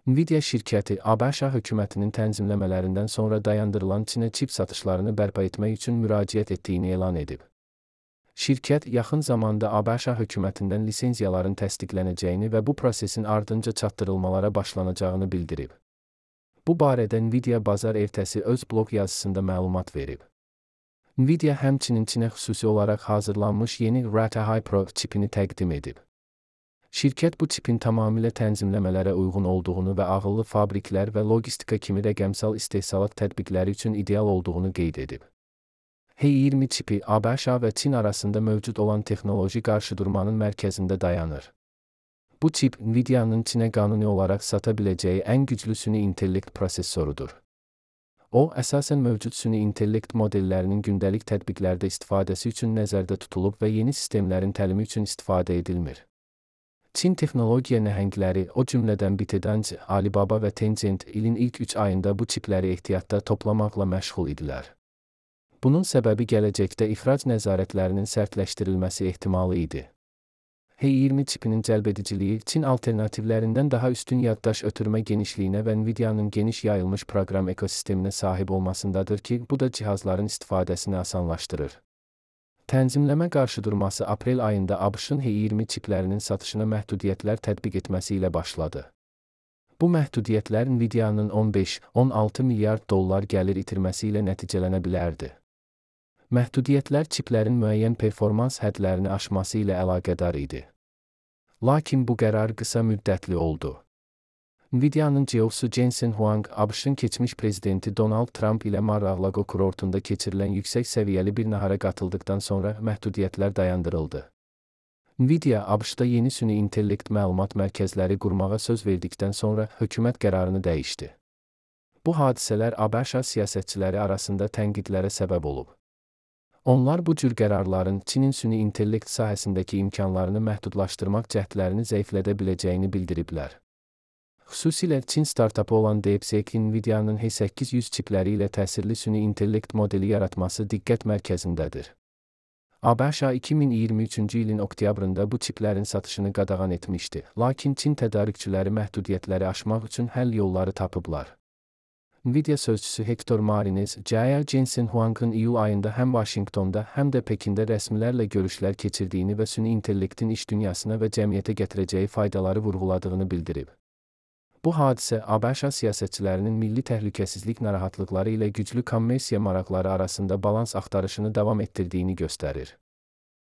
Nvidia şirkəti ABŞ hökumətinin tənzimləmələrindən sonra dayandırılan Çinə çip satışlarını bərpa etmək üçün müraciət etdiyini elan edib. Şirkət yaxın zamanda ABŞ hökumətindən lisenziyaların təsdiqlənəcəyini və bu prosesin ardınca çatdırılmalara başlanacağını bildirib. Bu barədə Nvidia bazar ertəsi öz blog yazısında məlumat verib. Nvidia həmçinin Çinə xüsusi olaraq hazırlanmış yeni Rate-High Pro çipini təqdim edib. Şirkət bu çipin tamamilə tənzimləmələrə uyğun olduğunu və ağıllı fabriklər və logistika kimi rəqəmsal istehsalat tətbiqləri üçün ideal olduğunu qeyd edib. H20 çipi ABŞ və Çin arasında mövcud olan texnoloji qarşıdurmanın mərkəzində dayanır. Bu çip Nvidia'nın Çinə qanuni olaraq sata biləcəyi ən güclü süni intellekt prosesorudur. O, əsasən mövcud süni intellekt modellərinin gündəlik tətbiqlərdə istifadəsi üçün nəzərdə tutulub və yeni sistemlərin təlimi üçün istifadə edilmir. Çin texnologiya nəhəngləri, o cümlədən ByteDance, Alibaba və Tencent ilin ilk 3 ayında bu çipləri ehtiyatda toplamaqla məşğul idilər. Bunun səbəbi gələcəkdə ixrac nəzarətlərinin sərtləşdirilməsi ehtimalı idi. H20 çipinin cəlbediciliyi Çin alternativlərindən daha üstün yaddaş ötürmə genişliyinə və Nvidia'nın geniş yayılmış proqram ekosisteminə sahib olmasındadır ki, bu da cihazların istifadəsini asanlaşdırır. Tənzimləmə qarşıdurması aprel ayında ABŞ-ın H20 çiplərinin satışına məhdudiyyətlər tətbiq etməsi ilə başladı. Bu məhdudiyyətlər Nvidia'nın 15-16 milyard dollar gəlir itirməsi ilə nəticələnə bilərdi. Məhdudiyyətlər çiplərin müəyyən performans hədlərini aşması ilə əlaqədar idi. Lakin bu qərar qısa müddətli oldu. Nvidia'nın CEO-su Jensen Huang, ABŞ-ın keçmiş prezidenti Donald Trump ilə Mar-a-Lago kurortunda keçirilən yüksək səviyyəli bir nahara qatıldıqdan sonra məhdudiyyətlər dayandırıldı. Nvidia, ABŞ-da yeni süni intellekt məlumat mərkəzləri qurmağa söz verdikdən sonra hökumət qərarını dəyişdi. Bu hadisələr ABŞ siyasətçiləri arasında tənqidlərə səbəb olub. Onlar bu cür qərarların Çinin süni intellekt sahəsindəki imkanlarını məhdudlaşdırmaq cəhdlərini zəiflədə biləcəyini bildiriblər. Xüsusilə Çin startapı olan DeepSeek Nvidia'nın H800 çipləri ilə təsirli süni intellekt modeli yaratması diqqət mərkəzindədir. ABŞ 2023-cü ilin oktyabrında bu çiplərin satışını qadağan etmişdi, lakin Çin tədarükçüləri məhdudiyyətləri aşmaq üçün həll yolları tapıblar. Nvidia sözçüsü Hector Marines, Jensen Huang'ın iyul ayında həm Vaşinqtonda, həm də Pekində rəsmilərlə görüşlər keçirdiyini və süni intellektin iş dünyasına və cəmiyyətə gətirəcəyi faydaları vurğuladığını bildirib. Bu hadisə ABŞ siyasətçilərinin milli təhlükəsizlik narahatlıqları ilə güclü kommersiya maraqları arasında balans axtarışını davam etdirdiyini göstərir.